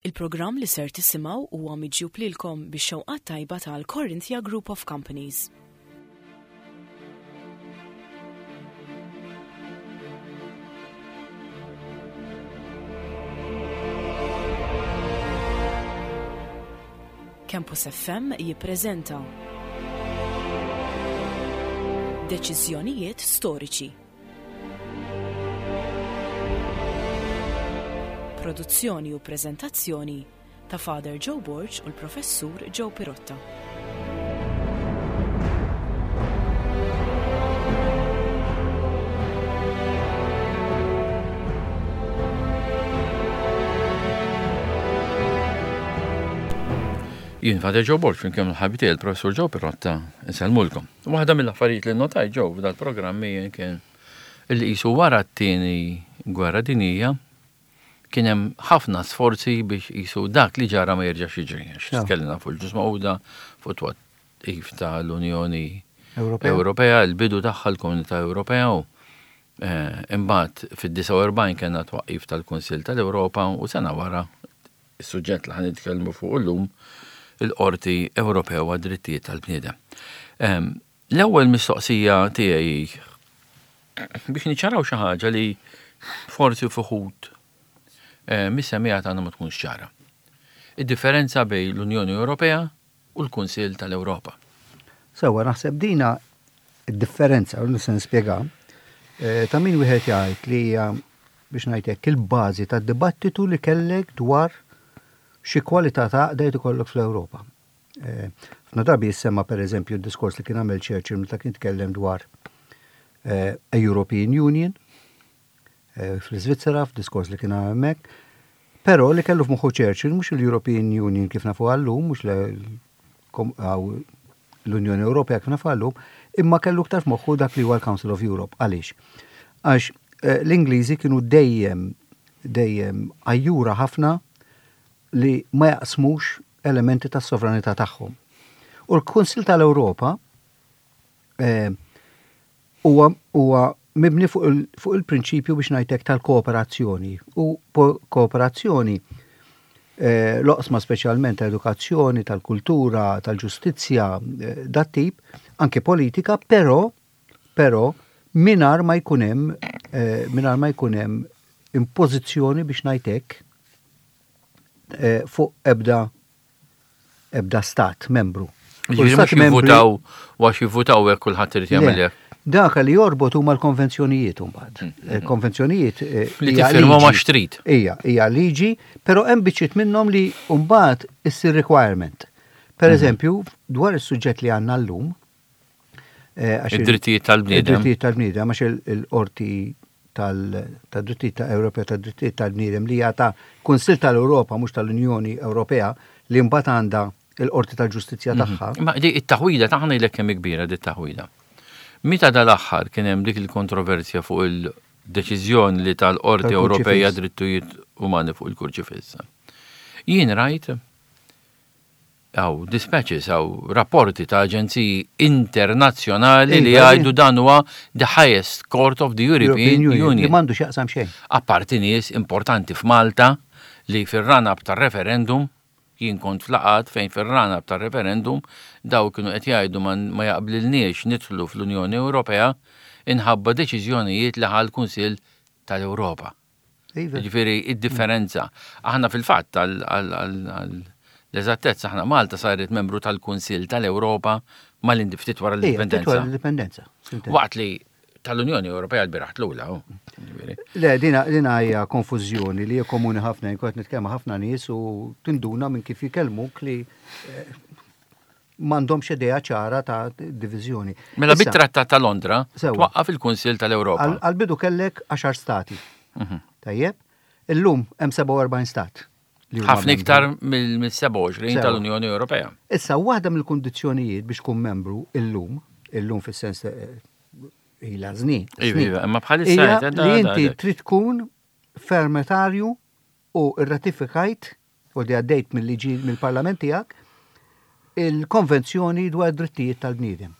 Il-programm li ser tisimgħu huwa miġjub lilkom bix-xewqat tajba tal-Corinthia Group of Companies. Campus FM jippreżenta Deċiżjonijiet storiċi. Produzzjoni u preżentazzjoni ta' Father Joe Borg u l-Professur Joe Pirotta. Jien Father Joe Borg flimkien mal-ħabib tiegħi l-Professur Joe Pirotta insellmulkom. Waħda mill-affarijiet li notajt ġew f'dal-programm kien illi qisu wara t-tieni gwerra dinjija kien hemm ħafna sforzi biex qisu dak li ġara ma jerġax jiġri. Għax tkellimna fuq il-Ġnus Magħquda, fuq it-twaqqif tal-Unjoni Ewropea, il-bidu tagħha l-Komunità Ewropea u imbagħad fid-49 kellna twaqqif tal-Kunsill tal-Ewropa u sena wara is-suġġett li ħa nitkellmu fuqu llum, il-Qorti Ewropew għad-Drittijiet tal-Bniedem. L-ewwel mistoqsija tiegħi hi biex niċċaraw xi ħaġa li forsi f'uħud eh, mis-semmiegħa tagħna ma tkunx ċara. Id-differenza bejn l-Unjoni Ewropea u l-Kunsill tal-Ewropa. Sewwa, naħseb dina d-differenza, u nista' nispjega, eh, ta' min wieħed jgħid li hija biex ngħid hekk il-bażi tad-dibattitu li kellek dwar xi kwalità ta' għaqda jrid ikollok fl-Ewropa. Eh, ħafna drabi jissemma pereżempju d-diskors li kien għamel Churchill meta kien tkellem dwar eh, a European Union eh, fl-Iżvizzera, f'diskors li kien għamel hemmhekk. Però li kellu f'moħħu Churchill mhux il-European Union kif nafu għallum, mhux l-Unjoni Ewropea kif nafu għallum, imma kellu iktar f'moħħu dak li huwa l-Council of Europe. Għaliex? Għax eh, l-Ingliżi kienu dejjem dejjem għajjura ħafna li ma jaqsmux elementi tas-sovranità tagħhom. U l-Kunsil tal-Ewropa eh, huwa huwa mibni fuq il, fuq il-prinċipju biex ngħidlek tal-kooperazzjoni u kooperazzjoni eh, l-oqsma speċjalment ta' edukazzjoni, tal-kultura, tal-ġustizzja, eh, dat tip, anke politika, però però mingħajr ma jkun hemm eh, mingħajr ma jkun hemm impożizzjoni biex ngħid hekk eh, fuq ebda ebda stat membru. Jiġifieri mhux jivvutaw u għax jivvutaw hekk kulħadd irid jagħmel hekk. Dak li jorbot huma l-konvenzjonijiet imbagħad. Mm, mm, mm. Konvenzjonijiet eh, li tiffirmhom għax trid. Ija, hija liġi, però hemm biċċiet minnhom li mbagħad issir requirement. Per mhm. eżempju, dwar is-suġġett li għandna llum, eh, id-drittijiet tal-bniedem. Id-drittijiet tal-bniedem għax il-qorti tad-drittijiet ta' Ewropea tad-drittijiet tal-bniedem li hija ta' Kunsill tal-Ewropa mhux tal-Unjoni Ewropea li mbagħad għandha il-Qorti tal-Ġustizzja mhm. tagħha. Ma di it-taħwida ta' ħa kemm kbira di taħwida. Meta dal-aħħar kien hemm dik il-kontroversja fuq il-deċiżjoni li tal-Qorti Ewropea drittijiet umani fuq il-kurċifissa. Jien rajt Hawn dispatches, hawn rapporti ta' aġenziji internazzjonali li iva, jgħidu dan huwa the highest court of the European Union. Li m'għandu x'jaqsam xejn. Apparti nies importanti f'Malta li fir-run-up tar-referendum, jien kont f'laqgħat fejn fir-run-up tar-referendum daw kienu qed jgħidu ma jaqblilniex nidħlu fl-Unjoni Ewropea inħabba deċiżjonijiet li ħa l-Kunsill tal-Ewropa. Iva. Ġifieri id-differenza. Aħna fil-fatt l-eżattezza aħna Malta saret membru tal-Kunsill tal-Ewropa mal-ftit wara l-indipendenza. Waqt li tal-Unjoni Ewropea l-biraħ tlula. Le, dina hija konfużjoni li hija komuni ħafna, jien kont nitkellem ħafna nies u tinduna minn kif jikellmuk li eh, m'għandhomx idea ċara ta' diviżjoni. Mela bit-Trattat ta' Londra twaqqaf il-Kunsill tal-Ewropa. Għal-bidu kellek 10 stati. Mhm. Tajjeb, illum hemm 47 stat. Ħafna iktar mill-27 tal-Unjoni Ewropea. Issa, waħda mill-kundizzjonijiet biex tkun membru illum, illum fis-sens eh, ila żnien. Iva, iva, imma bħalissa li inti trid tkun fermetarju u rratifikajt u li għaddejt mill-liġi mill-parlament tiegħek, il-Konvenzjoni dwar id-Drittijiet tal-Bniedem.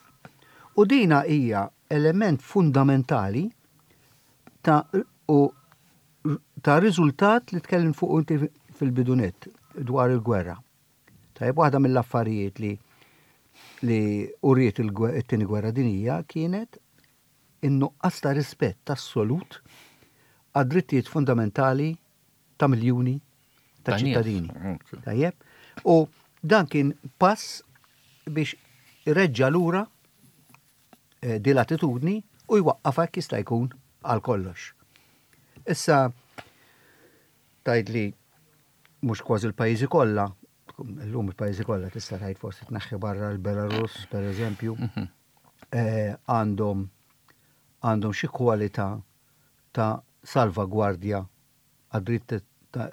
U dina hija element fundamentali ta' u ta' riżultat li tkellim fuq inti fil-bidu nett dwar il-gwerra. Tajjeb, waħda mill-affarijiet li li uriet it-tieni gwerra dinjija kienet in-nuqqas ta' rispett assolut għad-drittijiet fundamentali ta' miljuni ta' ċittadini. Tajjeb? U dan kien pass biex ireġġa' lura eh, din l-attitudni u jwaqqafha jekk jista' jkun għal kollox. Issa tgħid li mhux kważi l-pajjiżi kollha, illum il-pajjiżi kollha tista' tgħid forsi tneħħi barra l-Belarus pereżempju, mhm. eh, għandhom għandhom xi kwalità ta' salvagwardja għad-dritt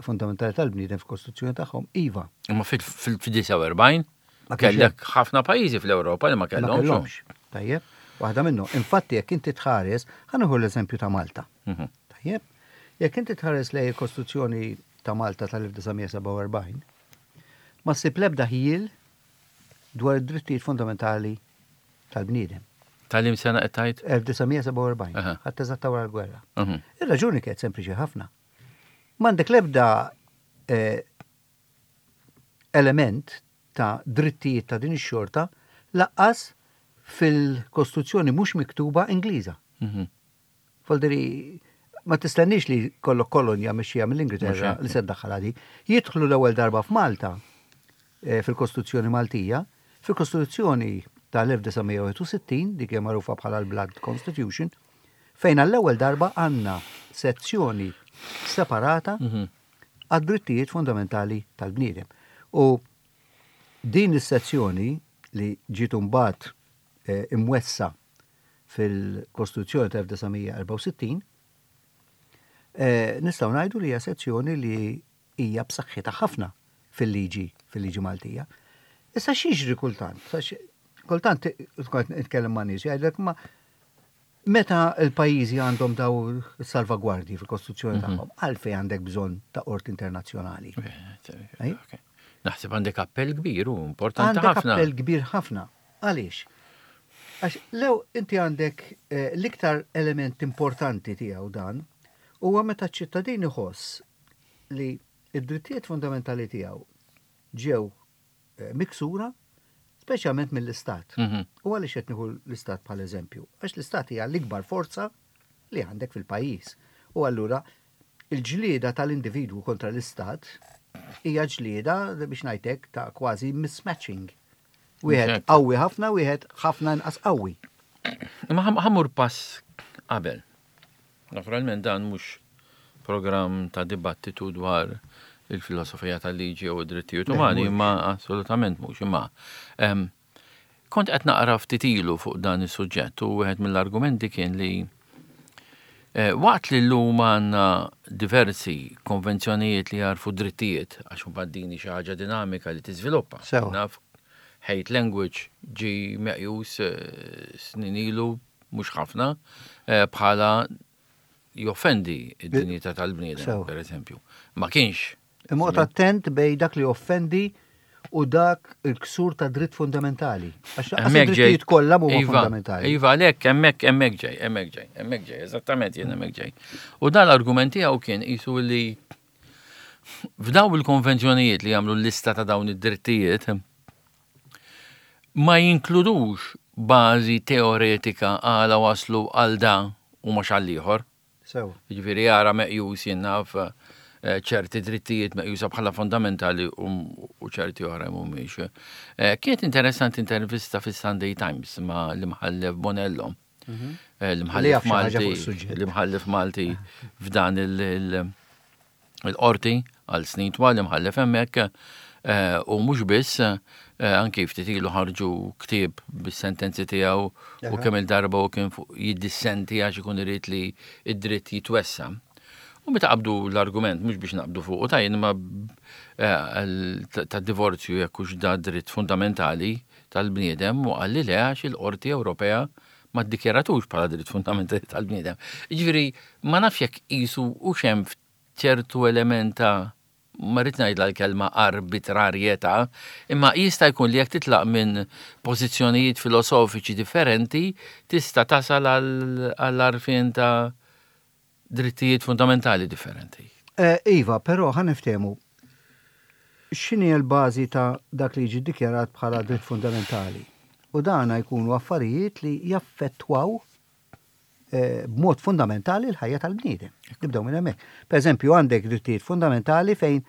fundamentali tal-bniedem fil-Kostituzzjoni tagħhom, iva. Imma fil-49 kellek ħafna pajjiżi fl-Ewropa li ma kellhomx. Tajjeb, waħda minnhom. Infatti jekk inti tħares, ħa nieħu l-eżempju ta' Malta. Mhm. Tajjeb, jekk inti tħares lejn il-Kostituzzjoni ta' Malta tal-1947, ma ssib l-ebda ħjiel dwar id-drittijiet fundamentali tal-bniedem. Tal-im sena qed tgħid? 1947, ħadd eżatt ta' wara l-gwerra. Mhm. Ir-raġuni kienet sempliċi ħafna. M'għandek l-ebda eh, element ta' drittijiet ta' din ix-xorta laqqas fil-Kostituzzjoni mhux miktuba Ingliża. Mhm. Voldiri, ma tistenniex li kollok kolonja mexxija mill-Ingilterra li se ddaħħalha di. Jidħlu l-ewwel darba f'Malta eh, fil-Kostituzzjoni Maltija, fil-Kostituzzjoni tal-1961, dik hija magħrufa bħala l-Blood Constitution, fejn għall-ewwel darba għandna sezzjoni separata mhm. għad-drittijiet fundamentali tal-bniedem. U din is-sezzjoni li ġiet imbagħad eh, imwessa fil-Kostituzzjoni tal-1964, eh, nistgħu ngħidu li hija sezzjoni li hija b'saħħitha ħafna fil-liġi fil-liġi Maltija. Issa x'jiġri kultant? Kultant tkun nitkellem ma' nies jgħidlek ma meta l-pajjiżi għandhom daw salvagwardji fil-Kostituzzjoni mhm. tagħhom, għalfejn għandek bżonn ta' qorti internazzjonali. Naħseb għandek appell kbir u importanti ħafna. Għandek appell kbir ħafna. Għaliex? Għax lew inti għandek eh, l-iktar element importanti tiegħu dan huwa meta ċ-ċittadin iħoss li id-drittijiet fundamentali tiegħu ġew eh, miksura speċjalment mill-istat. Mhm. U għaliex qed nieħu l-istat bħal eżempju? Għax l-istat hija l-ikbar forza li għandek fil-pajjiż. U allura il-ġlieda tal-individwu kontra l-istat hija ġlieda biex ngħidlek ta' kważi mismatching. Wieħed qawwi ħafna, wieħed ħafna inqas qawwi. Imma ħamur pass qabel. Naturalment dan mhux programm ta' dibattitu dwar il-filosofija tal-liġi u id-drittijiet umani, imma assolutament mhux imma. Kont qed naqra ftit ilu fuq dan is-suġġett u wieħed mill-argumenti kien li eh, waqt li llum għandna diversi konvenzjonijiet li jarfu drittijiet, għax mbagħad din xi ħaġa dinamika li tiżviluppa. Naf hate language ġi meqjus eh, snin ilu mhux ħafna eh, bħala joffendi id-dinjità tal-bniedem, per eżempju. Ma kienx. Imma oqgħod attent bejn dak li joffendi u dak il-ksur ta' dritt fundamentali. Għax lanqas id-drittijiet kollha mhuma iva, fundamentali. Iva, għalhekk hemmhekk hemmhekk ġej, hemmhekk ġej, hemmhekk ġej, eżattament jien hemmhekk ġej. U dan l-argument tiegħu kien qisu li f'daw il-konvenzjonijiet li jagħmlu l-lista ta' dawn id-drittijiet ma jinkludux bażi teoretika għala waslu għal da u mhux għal ieħor. Sew. Jiġifieri jara meqjus jien naf eh, ċerti drittijiet meqjusa bħala fondamentali u ċerti oħra mhumiex. Eh, kienet interessanti intervista fis-Sunday Times ma' l-imħallef Bonello. Mhm. Eh, l-imħallef Malti, l-imħallef Malti f'dan il- il-qorti għal snin twal imħallef hemmhekk eh, u mhux biss eh, anki ftit ilu ħarġu ktieb bis-sentenzi tiegħu u kemm il-darba u kien jiddissenti għax ikun irid li id-dritt jitwessa. U meta qabdu l-argument, mhux biex naqbdu fuq, u tajn ma eh, ta' divorzju jekk hux da dritt fundamentali tal-bniedem u qalli le għax il-Qorti Ewropea ma ddikjaratux bħala dritt fundamentali tal-bniedem. Jiġifieri ma nafx jekk qisu hux hemm ċertu element ta' ma rridx ngħidla l-kelma arbitrarjetà, imma jista' jkun li jekk titlaq minn pożizzjonijiet filosofiċi differenti tista' tasal għall-għarfien ta' drittijiet fundamentali differenti. Eh, iva, però ħa niftehmu. X'inhi l-bażi ta' dak li jiġi ddikjarat bħala dritt fundamentali? U dana jkunu affarijiet li jaffettwaw b'mod fundamentali l-ħajja tal-bniedem. Nibdew minn hemmhekk. Per eżempju, għandek drittijiet fundamentali fejn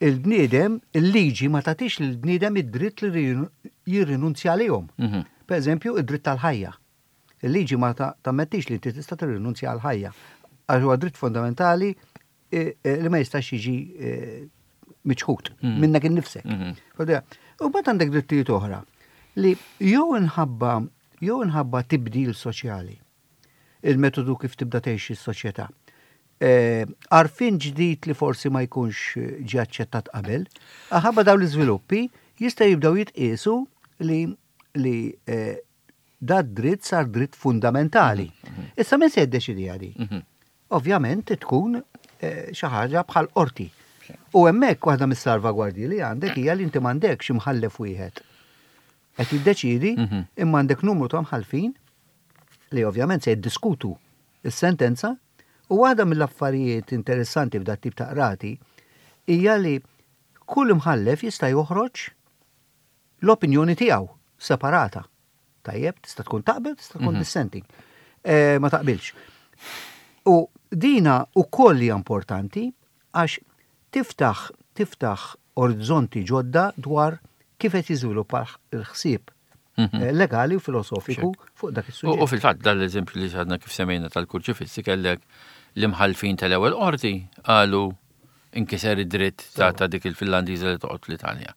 il-bniedem, il-liġi ma tagħtix lill-bniedem id-dritt li jirrinunzja għalihom. Per eżempju, id-dritt tal-ħajja. Il-liġi ma tammettix li inti tista' tirrinunzja għall-ħajja. Għax huwa dritt fundamentali li ma jistax jiġi miċħud minnek innifsek. U mbagħad għandek drittijiet oħra li jew inħabba jew inħabba tibdil soċjali, il-metodu kif tibda tgħix is-soċjetà. Għarfien ġdid li forsi ma jkunx ġie aċċettat qabel, ħabba dawn l-iżviluppi jista' jibdew jitqiesu li li da dritt sar dritt fundamentali. Issa min se jiddeċidiha di? Ovvjament tkun xi ħaġa bħal qorti. U hemmhekk waħda mis-salvagwardji li għandek hija li inti m'għandekx imħallef wieħed qed jiddeċiedi imma għandek numru ta' mħallfin li ovvjament se jiddiskutu s-sentenza u waħda mill-affarijiet interessanti f'dat tip ta' qrati hija li kull imħallef jista' joħroġ l-opinjoni tiegħu separata. Tajjeb, tista' tkun taqbel, tista' tkun dissenting. Ma taqbilx. U dina wkoll hija importanti għax tiftaħ tiftaħ orizzonti ġodda dwar kif qed jiżviluppa l-ħsieb legali u filosofiku fuq dak is-suġġett. U fil-fatt dal-eżempju li għadna kif semmejna tal-kurċifissi kellek l-imħallfin tal-ewwel qorti qalu inkiser id-dritt ta' dik il-Finlandiża li toqgħod l-Italja.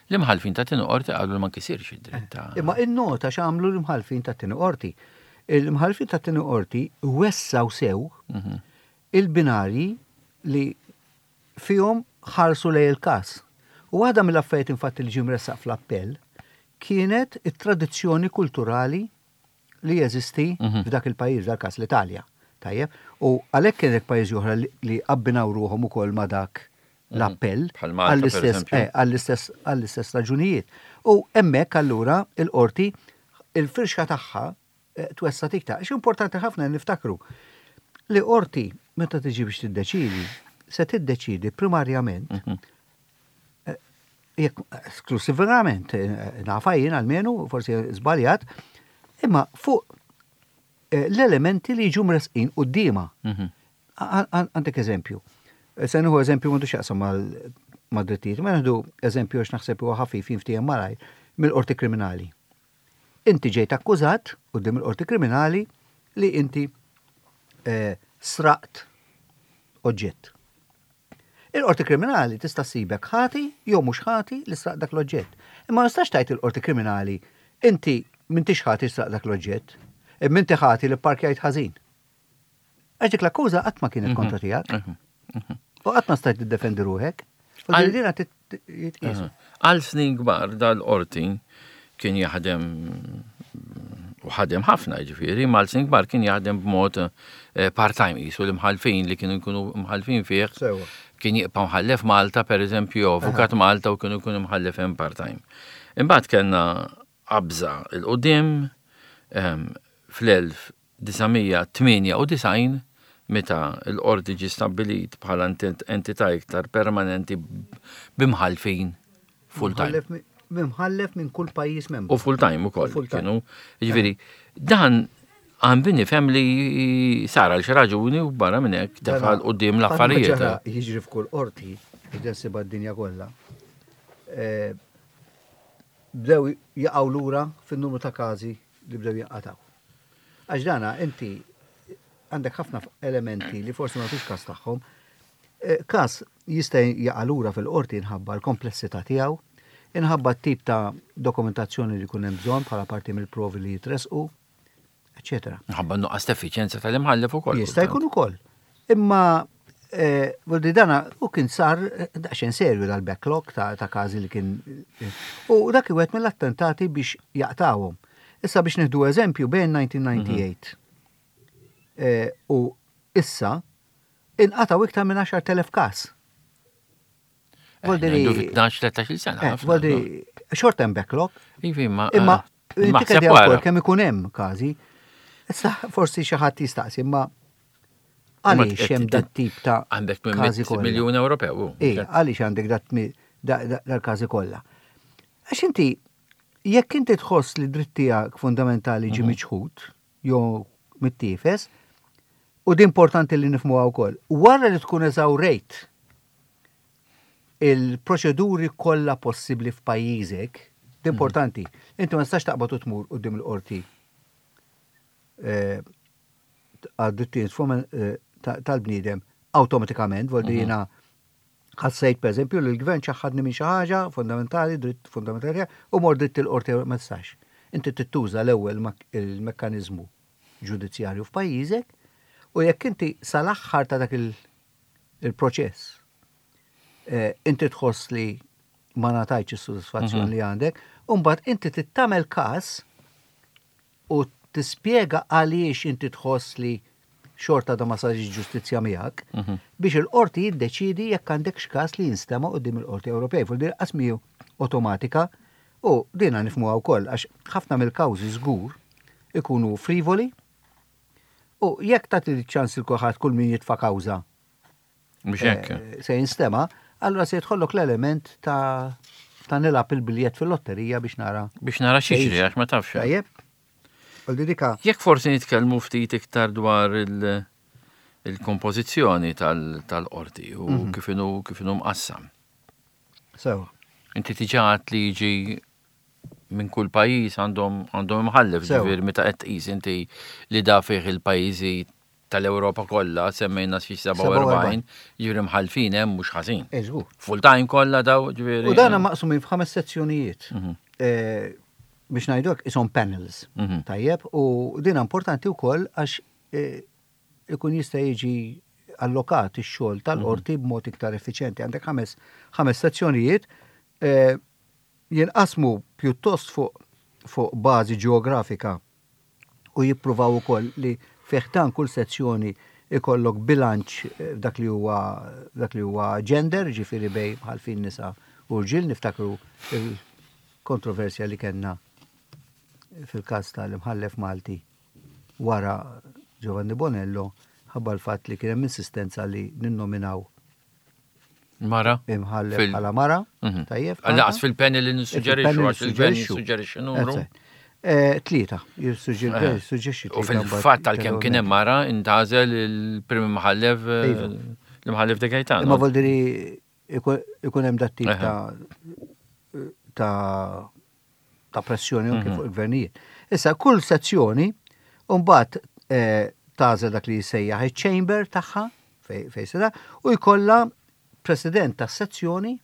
L-imħallfin ta' tieni qorti qalu li ma nkisirx id-dritt ta' Imma innota x'għamlu l-imħallfin ta' tieni qorti. Il-imħallfin ta' tieni qorti wessaw sew il-binarji li fihom ħarsu lejn il-każ. U waħda mill-affarijiet infatti li ġie mressaq fl-appell kienet it-tradizzjoni kulturali li jeżisti f'dak il-pajjiż, dal-każ l-Italja. Tajjeb, u għalhekk kienet pajjiżi oħra li abbinaw ruħhom ukoll ma' dak l-appell Bħal Malta, per eżempju. għall-istess raġunijiet. U hemmhekk allura il-qorti il-firxa tagħha twessat iktar. Għax importanti ħafna niftakru li qorti meta tiġi biex tiddeċidi, se tiddeċidi primarjament jekk esklusivament, nafa jien almenu, forsi żbaljat, imma fuq l-elementi li jiġu mresqin quddiemha. Għandek eżempju. Se nieħu eżempju m'għandux x'jaqsam mal-drittijiet, ma nieħdu eżempju għax naħseb huwa ħafif jinftiehem malajr mill-qorti kriminali. Inti ġejt akkużat quddiem il-qorti kriminali li inti sraqt oġġett. Il-qorti kriminali tista' ssibek ħati jew mhux ħati li sraqt dak l-oġġett. Imma ma tistax tgħid il-qorti kriminali inti m'intix ħati sraqt dak l-oġġett, imma inti ħati li pparkjajt ħażin. Għax dik l-akkuża qatt ma kienet kontra tiegħek. U qatt ma stajt tiddefendi ruħek. U din jitqiesu. Għal snin kbar dal-qorti kien jaħdem u ħadem ħafna ġifieri, ma għal snin kbar kien jaħdem b'mod part-time qisu l-imħallfin li kienu jkunu mħallfin fih. Kien jibqa' mħallef Malta pereżempju, jew avukat Malta u kienu jkunu mħallef hemm part-time. Imbagħad kellna qabża 'l quddiem fl-1998 meta l-qorti ġie stabbilit bħala entità iktar permanenti b'imħallfin full-time. Mimħallef minn kull pajjiż membru. U full-time ukoll. Kienu, jiġifieri, dan għandi nifhem li sar għal xi raġuni u barra minn hekk tefa' 'l quddiem l-affarijiet. Jiġri f'kull qorti, ġensiba d-dinja kollha. Bdew jaqgħu lura fin-numru ta' każi li bdew jinqatgħu. Għax dana inti għandek ħafna elementi li forsi ma tux każ tagħhom. Każ jista' jaqa' lura fil-qorti inħabba l-komplessità tiegħu, inħabba t-tip ta' dokumentazzjoni li jkun hemm bżonn bħala parti mill-provi li jitresqu, eċċetera. Inħabba n-nuqqas ta' effiċjenza tal-imħallef ukoll. Jista' jkun ukoll. Imma vuol dana u kien sar daqsxejn serju dal-backlog ta' każi li kien u dak wieħed mill-attentati biex jaqtawhom. Issa biex nieħdu eżempju bejn 1998 u issa inqataw iktar minn 10,000 każ. Vuol dire 12-13 sena. Vuol dire short term backlog. Ivi, ma. Imma inti wkoll kemm ikun hemm każi. Issa forsi xi ħadd jistaqsi, imma għaliex hemm dat tip ta' għandek miljun Ewropew. Ej, għaliex għandek dat dal-każi kollha. Għax inti jekk inti tħoss li dritt tiegħek fundamentali ġie miċħud jew mittiefes, u di importanti li nifhmuha wkoll, wara li tkun eżawrejt il-proċeduri kollha possibbli f'pajjiżek, di importanti, inti ma tistax taqbad u tmur quddiem il-qorti għad-drittijiet tal-bniedem awtomatikament, vol di jiena ħassejt pereżempju li l-gvern ċaħħadni minn xi ħaġa fundamentali, dritt fundamentali, u mort dritt il-qorti ma tistax. Inti trid tuża l-ewwel il-mekkaniżmu ġudizzjarju f'pajjiżek u jekk inti sal-aħħar ta' dak il-proċess inti tħoss li ma ngħatajtx is-sodisfazzjon li għandek, u mbagħad inti trid tagħmel każ u tispjega għaliex inti tħoss li xorta da ma sarx ġustizzja miegħek, biex il-qorti jiddeċidi jekk għandekx każ li jinstema' quddiem il-Qorti Ewropej. Fuq din qas mhi awtomatika u dina nifhmuha wkoll għax ħafna mill-kawżi żgur ikunu frivoli u jekk tagħti ċans il kulħadd kull min jitfa' kawża Mhux hekk. Se jinstema', allura se jidħollok l-element ta' ta' nilgħab il-biljett fil-lotterija biex nara. Biex nara x'jiġri għax ma tafx. Tajjeb. Dika. Jekk forsi nitkellmu ftit iktar dwar il-kompożizzjoni tal-qorti u kif inhu kif inhu mqassam. Sewa. Inti diġà għedt li jiġi minn kull pajjiż għandhom għandhom imħallef, ġifieri meta qed tqis inti li da fih il-pajjiżi tal-Ewropa kollha semmejna xi 47, ġifieri mħallfin hemm mhux ħażin. Eżgur. Full time kollha daw, ġifieri. U dana maqsumin f'ħames sezzjonijiet. Biex ngħidu hekk ishom panels. Tajjeb, u din importanti wkoll għax ikun jista' jiġi allokat ix-xogħol tal-qorti b'mod iktar effiċjenti. Għandek ħames ħames sezzjonijiet jinqasmu pjuttost fuq fuq bażi ġeografika u jippruvaw ukoll li fi ħdan kull sezzjoni ikollok bilanċ f'dak li huwa dak li huwa gender, ġifieri bejn mħallfin nisa u rġiel, niftakru il-kontroversja li kellna fil-każ tal-imħallef Malti wara Giovanni Bonello ħabba l-fatt li kien hemm insistenza li ninnominaw Mara. Imħallef bħala mara. Tajjeb. Laqas fil-panel li nissuġġerixxu għax il-gvern jissuġġerixxi numru. Tlieta, jissuġġerixxi. U fil-fatt tal-kemm kien hemm mara intgħażel il-prim imħallef l-imħallef De Gaetano. Imma voldiri ikun hemm dat tip ta' ta' ta' pressjoni anke fuq il-gvernijiet. Issa kull sezzjoni mbagħad tagħżel dak li jissejjaħ iċ-chamber tagħha fejn se u jkollha president tas-sezzjoni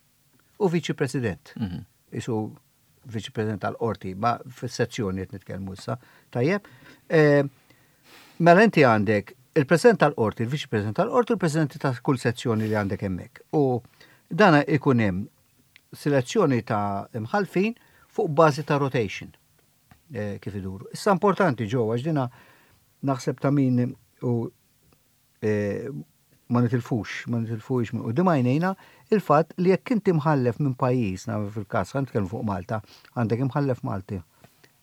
u viċi president. Isu viċi president tal-qorti, ma fis-sezzjoni qed nitkellmu issa. Tajjeb. Mela inti għandek il-president tal-qorti, il-viċi president tal-qorti, u il-president ta' kull sezzjoni li għandek hemmhekk. U dana ikun hemm selezzjoni ta' imħalfin fuq bażi ta' rotation kif iduru. Issa importanti ġo għax dina naħseb ta' min u ma nitilfux, ma nitilfux minn quddiem għajnejna il-fatt li jekk inti mħallef minn pajjiż, fil-każ ħa nitkellmu fuq Malta, għandek imħallef Malti,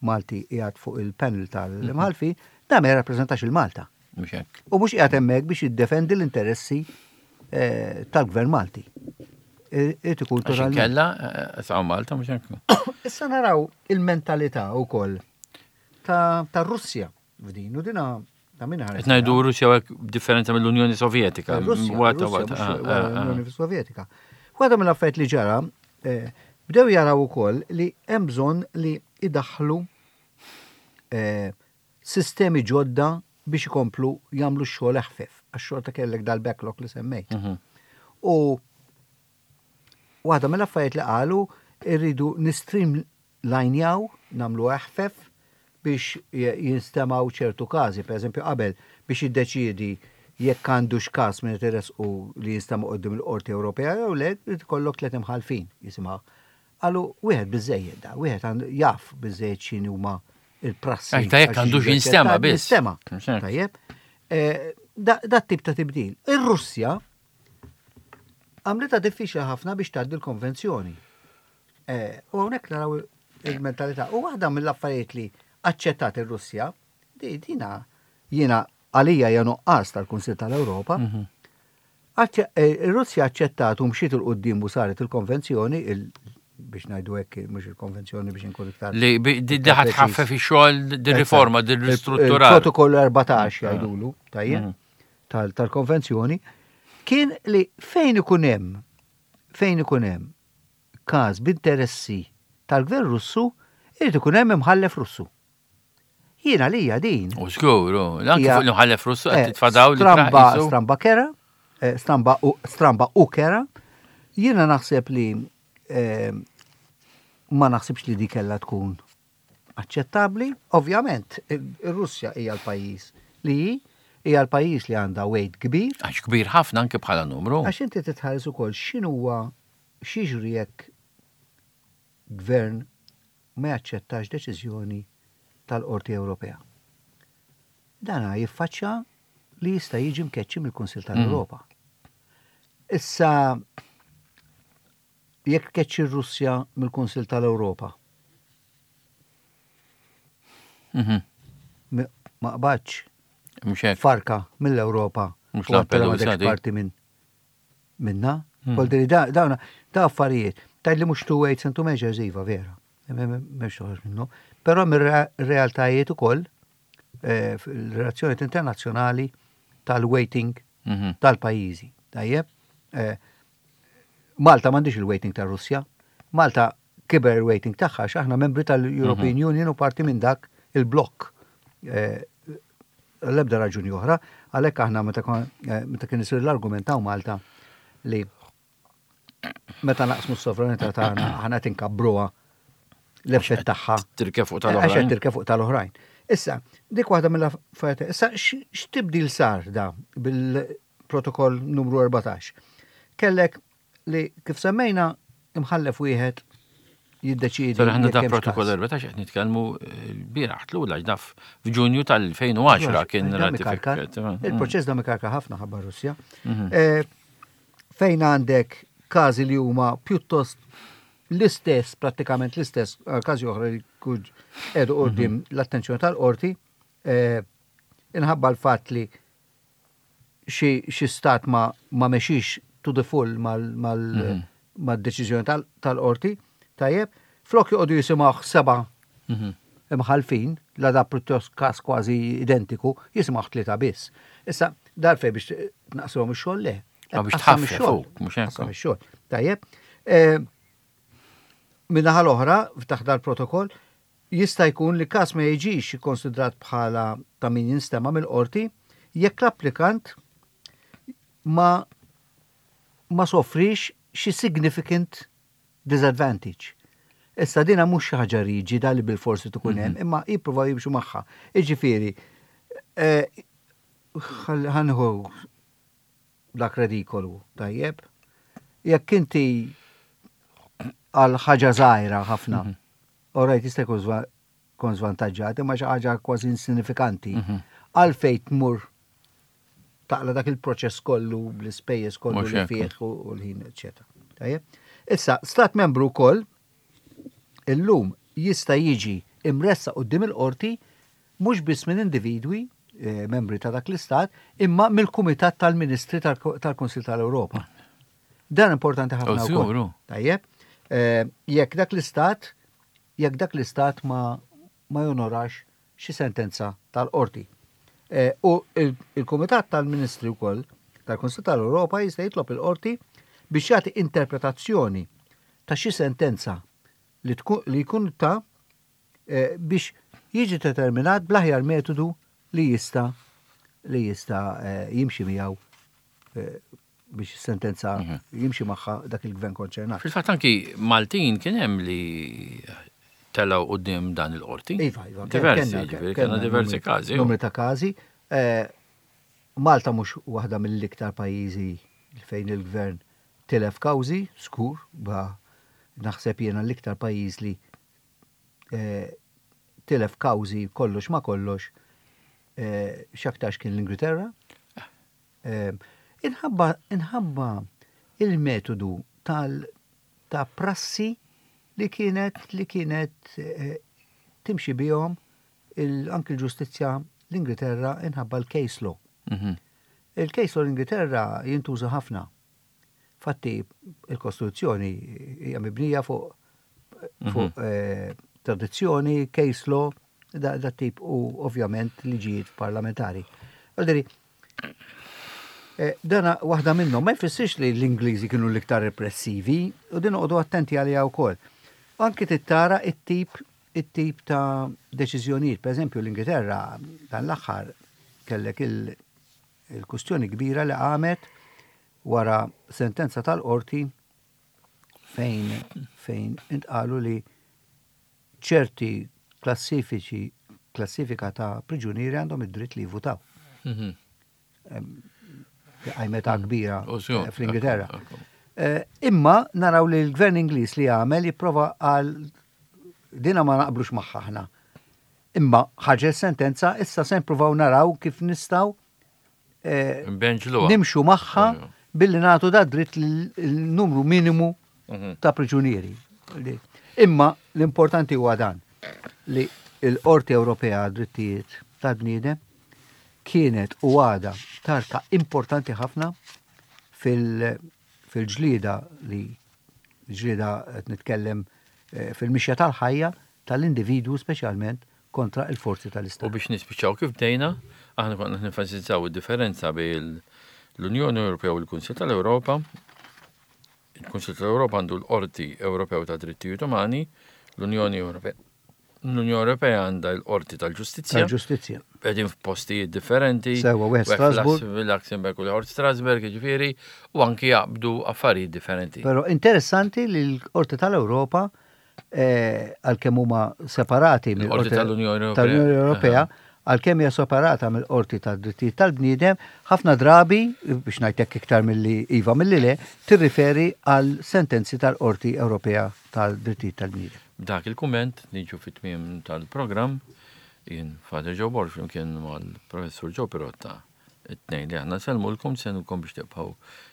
Malti qiegħed fuq il-panel tal-imħallfin, da ma jirrappreżentax il-Malta. Mhux hekk. U mhux qiegħed hemmhekk biex jiddefendi l-interessi tal-gvern Malti. Irid ikun Għax totalment. inkella sa' Malta mhux hekk. Issa naraw il-mentalità wkoll ta' ta' Russja f'din u dina ta' min ħares. Qed ngħidu Russja hekk differenza mill-Unjoni Sovjetika. Russja, Wata, Russja, wata, mhux ah, ah, ah. l-Unjoni Sovjetika. Waħda mill-affarijiet li ġara, bdew jaraw ukoll li hemm bżonn li idaħħlu sistemi ġodda biex ikomplu jagħmlu x-xogħol eħfef, għax xorta kellek dal-backlog li semmejt. U waħda mill-affarijiet li qalu irridu nistreamlinjaw, nagħmlu eħfef biex jinstemaw ċertu każi, per eżempju qabel biex jiddeċiedi jekk għandux każ minn u li jinstema' quddiem il-Qorti Ewropea jew le, irid ikollok tliet imħallfin jisimgħu. Qalu wieħed biżejjed da, wieħed għandu jaf biżejjed x'inhi huma il-prassi. Ta' jekk għandux jinstema' biss. Jinstema'. Mhux hekk. Tajjeb. Da tip ta' tibdil. Ir-Russja għamlitha diffiċli ħafna biex tgħaddi l-konvenzjoni. U hawnhekk naraw il-mentalità. U waħda mill-affarijiet li aċċettat ir-Russja, dina jiena għalija hija nuqqas tal-Kunsill tal-Ewropa. Ir-Russja aċċettat u mxiet 'il quddiem u saret il-konvenzjoni, biex ngħidu hekk, mhux il-konvenzjoni biex inkun iktar. Li di ħa tħaffef ix-xogħol di riforma, di ristrutturar. Protokoll 14 jgħidulu, tajjeb, tal-konvenzjoni, kien li fejn ikun hemm fejn ikun hemm każ b'interessi tal-gvern Russu, irid ikun hemm imħallef Russu. Jiena lija din. U żgur, anke fuq l-imħallef Russu qed eh, titfadaw li stramba stramba kera, eh, stramba u stramba u kera. Jiena naħseb li eh, ma naħsibx li di kellha tkun aċċettabbli. Ovvjament, ir-Russja hija l-pajjiż li hi, hija l-pajjiż li għandha weight kbir. Għax kbir ħafna anke bħala numru. Għax inti titħares ukoll x'inhuwa x'jiġri jekk gvern ma jaċċettax deċiżjoni tal-Qorti Ewropea. Dana jiffaċċja li jista' jiġi mkeċċi mill-Kunsill tal-Ewropa. Issa jekk tkeċċi r-Russja mill-Kunsill tal-Ewropa. Mhm. Ma qbadx farka mill-Ewropa. Mhux Lampedusa parti minn minna. Voldiri dawna da affarijiet. Tgħid li mhux two weights and two measures iva vera. M'hemmx toħroġ minnu. Però mir-realtajiet ukoll eh, fil-relazzjonijiet internazzjonali tal-weighting mhm. tal-pajjiżi. Tajjeb? Eh, Malta m'għandix il-weighting tar-Russja. Malta kiber il-weighting tagħha għax aħna membri tal-European mhm. Union u parti minn dak il-blokk. Eh, l-ebda raġuni oħra, għalhekk aħna meta eh, kien isir l-argument ta' Malta li meta naqsmu s-sovranità tagħna aħna tinkabbruha l-effett tagħha. Tirke fuq tal-oħrajn. Għax tirke fuq tal-oħrajn. Issa, dik waħda mill-affarijiet. Issa x'tibdil sar da bil-protokoll numru 14? Kellek li kif semmejna imħallef wieħed jiddeċiedi. Sar ħanna da protokoll 14 qed nitkellmu eh, l-bieraħ tlula daf f'Ġunju tal-2010 kien ratifikat. Il-proċess da mikarka ħafna ħabba Russja. Mhm. Eh, fejn għandek każi li huma pjuttost l-istess, prattikament l-istess, eh, każi oħra li kuġ edu qudiem mhm. l-attenzjoni tal-qorti, inħabba l-fatt li xi stat ma ma mexix to the full mal-deċiżjoni tal-qorti, tajjeb, flok joqogħdu jisimgħuh seba' mhm. imħalfin, la da pjuttost każ kważi identiku, jisimgħuh tlieta biss. Issa, darfej biex tnaqshom ix-xogħol le. Biex tħaffef mhux hekk. Ix-xogħol. Tajjeb. Eh, Min-naħa l-oħra, taħt dal-protokoll, Jista' jkun li każ ma jiġix ikkonsidrat bħala ta' min jinstema' mill-qorti jekk l-applikant ma ma sofriex xi significant disadvantage. Issa dina mhux xi ħaġa riġida li bilfors trid ikun hemm, imma jippruvaw jimxu magħha. Jiġifieri, ħa nieħu dak redikolu, tajjeb? Jekk inti għal ħaġa żgħira ħafna, mhm. all right, jista' jkun kon żvantaġġat, imma xi ħaġa kważi insinifikanti. Mhm. Għalfejn tmur taqla dak il-proċess kollu bl-ispejjeż kollu li fih u l-ħin, eċetera. Tajjeb? Issa, stat membru wkoll illum jista' jiġi imressa quddiem il-qorti mhux biss minn individwi, membri ta' dak l-istat, imma mill-Kumitat tal-Ministri tal-Kunsill tal-Ewropa. Dan importanti ħafna wkoll. Tajjeb, jekk dak l-istat jekk dak l-istat ma ma jonorax xi sentenza tal-qorti. U il-Kumitat tal-Ministri wkoll tal-Kunsill tal-Ewropa jista' jitlob il-qorti biex jagħti interpretazzjoni ta' xi sentenza li jkun ta biex jiġi determinat bl-aħjar metodu li jista' li jista' jimxi miegħu biex is-sentenza mhm. jimxi magħha dak il-gvern konċernat. Fil-fatt anki Maltin kien hemm li telgħu quddiem dan il-qorti. Iva, iva. Diversi, kellna diversi każi. Numri ta' każi. Eh, Malta mhux waħda mill-iktar pajjiżi fejn il-gvern tilef kawżi, skur, ba naħseb jiena l-iktar pajjiż li tilef kawżi kollox ma' kollox x'aktarx kien l-Ingilterra. Inħabba inħabba il-metodu tal ta' prassi li kienet li kienet timxi bihom anki l-ġustizzja l-Ingilterra inħabba l-case law. Mhm. Il-case law l-Ingilterra jintuża ħafna. Fatti, il-Kostituzzjoni hija mibnija fuq fuq mhm. tradizzjoni, case law, da, da tip u ovvjament liġijiet parlamentari. Għalderi, eh, dana waħda minnhom ma jfissirx li l-Ingliżi kienu l-iktar repressivi u din noqogħdu attenti għaliha wkoll. Anki tittara it-tip it-tip ta' deċiżjonijiet. Per eżempju, l-Ingilterra dan l-aħħar kellek il-kustjoni kbira li qamet wara sentenza tal-qorti fejn fejn intqalu li ċerti klassifiċi klassifika ta' priġunieri għandhom id-dritt li jivvutaw. Mhm. Għajmeta kbira eh, fl-Ingilterra. Eh, imma naraw li l-gvern Ingliż li għamel jipprova għal dina ma naqblux magħha aħna. Imma ħarġet sentenza issa se nippruvaw naraw kif nistgħu eh, nimxu magħha billi nagħtu da dritt l-numru minimu mhm. ta' priġunieri. Imma l-importanti huwa dan li l-Qorti Ewropea Drittijiet tal-Bniedem kienet u għada tarka importanti ħafna fil-ġlieda li ġlieda qed nitkellem eh, fil-mixja tal-ħajja tal-individwu speċjalment kontra l-forzi tal-Istat. U biex nispiċċaw kif bdejna, aħna konna nenfasizzaw id-differenza bejn l-Unjoni Ewropea u l-Kunsill tal-Ewropa. Il-Kunsill tal-Ewropa għandu l-Qorti Ewropew ta' Drittijiet Umani, l-Unjoni Ewropea L-Unjoni Ewropea għandha l-Qorti tal-Ġustizzja. Tal-Ġustizzja. Qegħdin f'postijiet differenti. Sewa, wieħed Strasburg. Luxemburg u l-Qorti Strasburg, jiġifieri, u anki jaqbdu affarijiet differenti. Però interessanti li l-Qorti tal-Ewropa eh, għalkemm huma separati mill-Qorti tal-Unjoni Ewropea. Ewropea, għalkemm hija separata mill-Qorti tad-Drittijiet tal-Bniedem, ħafna drabi, biex ngħidlek iktar milli iva milli le, tirriferi għal sentenzi tal-Qorti Ewropea tal-Drittijiet tal-Bniedem. B'dak il-kumment niġu fit-tmiem tal-programm. Jien Father Joe Borg flimkien mal-Professur Joe Pirotta It-tnejn li aħna nsellmulkom, nistednukom biex tibqgħu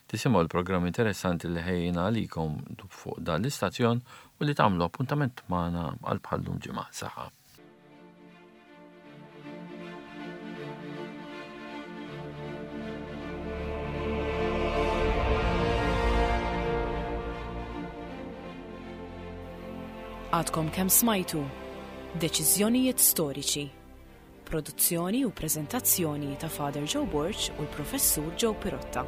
tisimgħu l-programm interessanti li ħejjejna għalikom fuq dan l-istazzjon u li tagħmlu appuntament magħna għal bħal-lum ġimgħa. Saħħa. Għadkom kemm smajtu Deċiżjonijiet Storiċi. Produzzjoni u preżentazzjoni ta' Father Joe Borg u l-Professur Joe Pirotta.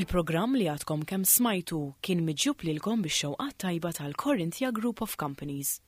Il-programm li għadkom kemm smajtu kien miġjub lilkom bix-xewqat tajba tal-Corinthia Group of Companies.